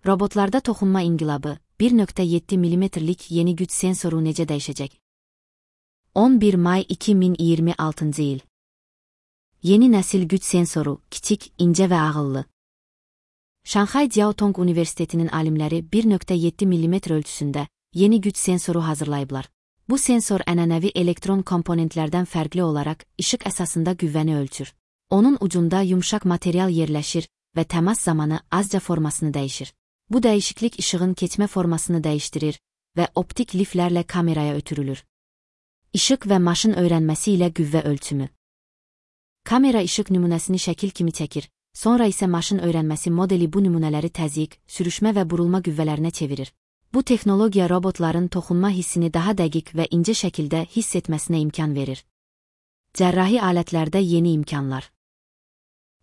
Robotlarda toxunma inqilabı, 1.7 mm'lik yeni güc sensoru necə dəyişəcək? 11 may 2026 il. Yeni nəsil güc sensoru, kiçik, incə və ağıllı. Şanxay Jiaotong Universitetinin alimləri 1.7 mm ölçüsündə yeni güc sensoru hazırlayıblar. Bu sensor ənənəvi elektron komponentlərdən fərqli olaraq işıq əsasında qüvvəni ölçür. Onun ucunda yumşaq material yerləşir və təmas zamanı azca formasını dəyişir. Bu dəyişiklik işığın keçmə formasını dəyişdirir və optik liflərlə kameraya ötürülür. İşıq və maşın öyrənməsi ilə qüvvə ölçümü. Kamera işıq nümunəsini şəkil kimi çəkir, sonra isə maşın öyrənməsi modeli bu nümunələri təzyiq, sürüşmə və burulma qüvvələrinə çevirir. Bu texnologiya robotların toxunma hissini daha dəqiq və incə şəkildə hiss etməsinə imkan verir. Cərrahi alətlərdə yeni imkanlar.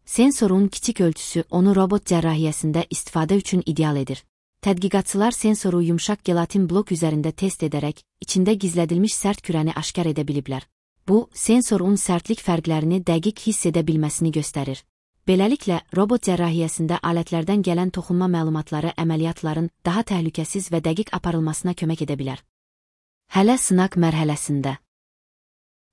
Sensorun kiçik ölçüsü onu robot cərrahiyyəsində istifadə üçün ideal edir. Tədqiqatçılar sensoru yumşaq gelatin blok üzərində test edərək, içində gizlədilmiş sərt kürəni aşkar edə biliblər. Bu, sensorun sərtlik fərqlərini dəqiq hiss edə bilməsini göstərir. Beləliklə, robot cərrahiyyəsində alətlərdən gələn toxunma məlumatları əməliyyatların daha təhlükəsiz və dəqiq aparılmasına kömək edə bilər. Hələ sınaq mərhələsində.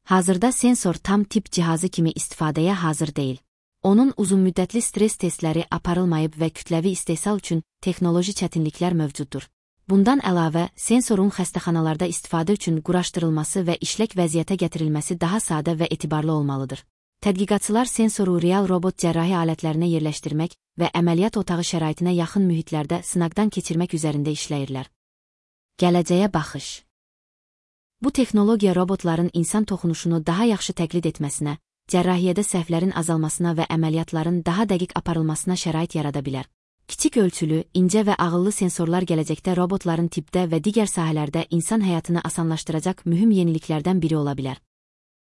Hazırda sensor tam tip cihazı kimi istifadəyə hazır deyil. Onun uzunmüddətli stres testləri aparılmayıb və kütləvi istehsal üçün texnoloji çətinliklər mövcuddur. Bundan əlavə, sensorun xəstəxanalarda istifadə üçün quraşdırılması və işlək vəziyyətə gətirilməsi daha sadə və etibarlı olmalıdır. Tədqiqatçılar sensoru real robot cərrahi alətlərinə yerləşdirmək və əməliyyat otağı şəraitinə yaxın mühitlərdə sınaqdan keçirmək üzərində işləyirlər. Gələcəyə baxış. Bu texnologiya robotların insan toxunuşunu daha yaxşı təqlid etməsinə, cərrahiyyədə səhvlərin azalmasına və əməliyyatların daha dəqiq aparılmasına şərait yarada bilər. Kiçik ölçülü, incə və ağıllı sensorlar gələcəkdə robotların tibbdə və digər sahələrdə insan həyatını asanlaşdıracaq mühüm yeniliklərdən biri ola bilər.